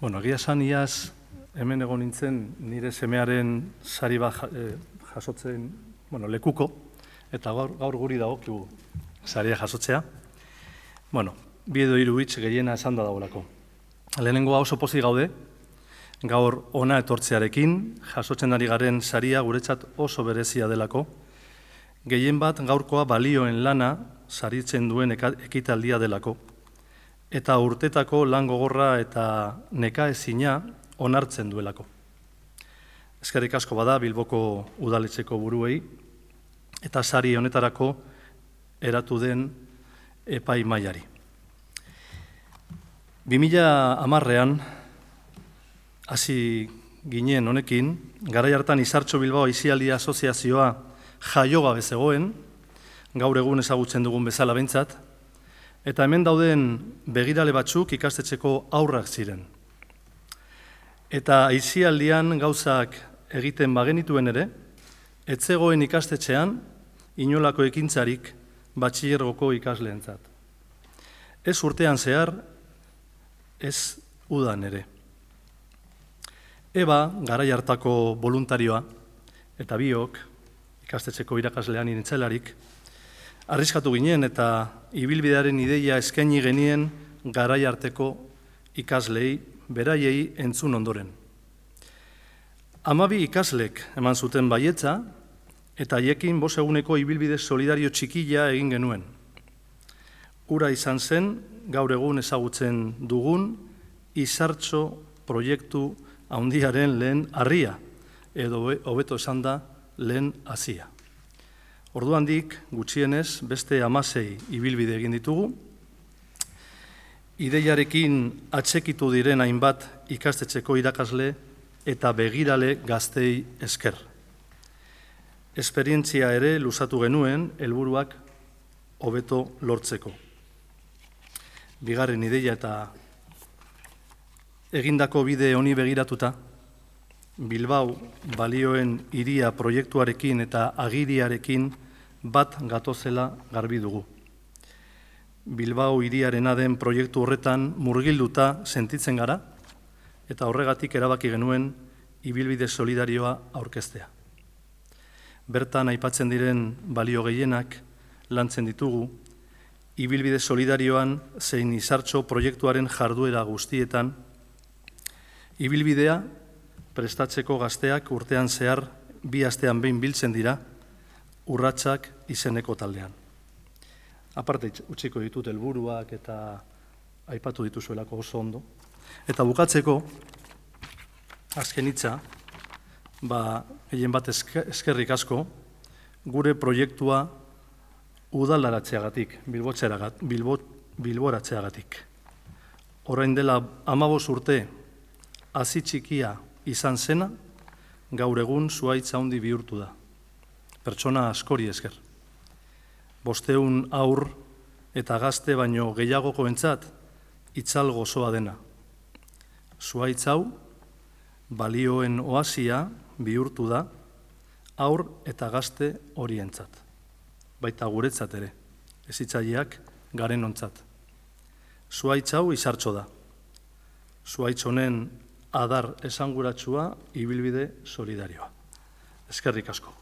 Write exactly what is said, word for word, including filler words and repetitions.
Bueno, egia esan iaz hemen egon nintzen nire semearen sari bat jasotzen, bueno, lekuko, eta gaur, gaur guri dagokigu saria jasotzea. Bueno, bi edo hiru hitz gehiena esan da dagoelako. Lehenengoa oso pozik gaude, gaur ona etortzearekin, jasotzen ari garen saria guretzat oso berezia delako. Gehien bat gaurkoa balioen lana saritzen duen ekitaldia delako. Eta urtetako lan gogorra eta nekaezina onartzen duelako. Eskerrik asko bada Bilboko udaletxeko buruei, eta sari honetarako eratu den epai mailari. bi mila hamarrean, hasi ginen honekin, garai hartan Izartxo Bilbao Aisialdi Asoziazioa jaiogabe zegoen, gaur egun ezagutzen dugun bezala behintzat, eta hemen dauden begirale batzuk ikastetxeko aurrak ziren. Eta aisialdian gauzak egiten bagenituen ere, ez zegoen ikastetxean inolako ekintzarik batxilergoko ikasleentzat. Ez urtean zehar, ez udan ere. Eba, garai hartako voluntarioa, eta biok, ikastetxeko irakaslean inintzelarik, arriskatu ginen eta ibilbidearen ideia eskaini genien garai arteko ikaslei, beraiei entzun ondoren. Hamabi ikaslek eman zuten baietza, eta haiekin bost eguneko ibilbide solidario txikila egin genuen. Hura izan zen, gaur egun ezagutzen dugun, Izartxo proiektu handiaren lehen harria, edo hobeto esan da lehen hazia. Orduandik, gutxienez, beste hamasei ibilbide egin ditugu, ideiarekin atsekitu diren hainbat ikastetxeko irakasle eta begirale gaztei esker. Esperientzia ere luzatu genuen helburuak hobeto lortzeko. Bigarren ideia eta egindako bide honi begiratuta, Bilbao balioen hiria proiektuarekin eta agiriarekin bat gatozela garbi dugu. Bilbao hiriarena den proiektu horretan murgilduta sentitzen gara, eta horregatik erabaki genuen ibilbide solidarioa aurkeztea. Bertan aipatzen diren balio gehienak lantzen ditugu, ibilbide solidarioan zein Izartxo proiektuaren jarduera guztietan, ibilbidea prestatzeko gazteak urtean zehar bi astean behin biltzen dira, urratsak izeneko taldean. Aparte utziko ditut helburuak eta aipatu dituzuelako oso ondo. Eta bukatzeko, azken hitza, ba, gehien bat eskerrik asko, gure proiektua udalaratzeagatik, bilboratzeagatik. Orain dela hamabost urte hazi txikia izan zena, gaur egun zuhaitz handi bihurtu da. Pertsona askori esker. Bosteun aur eta gazte baino gehiagokoentzat itzal gozoa dena. Zuhaitz hau, balioen oasia bihurtu da, aur eta gazte horientzat. Baita guretzat ere, hezitzaileak garen ontzat. Zuhaitz hau Izartxo da. Zuhaitz honen adar esanguratsua ibilbide solidarioa. Eskerrik asko.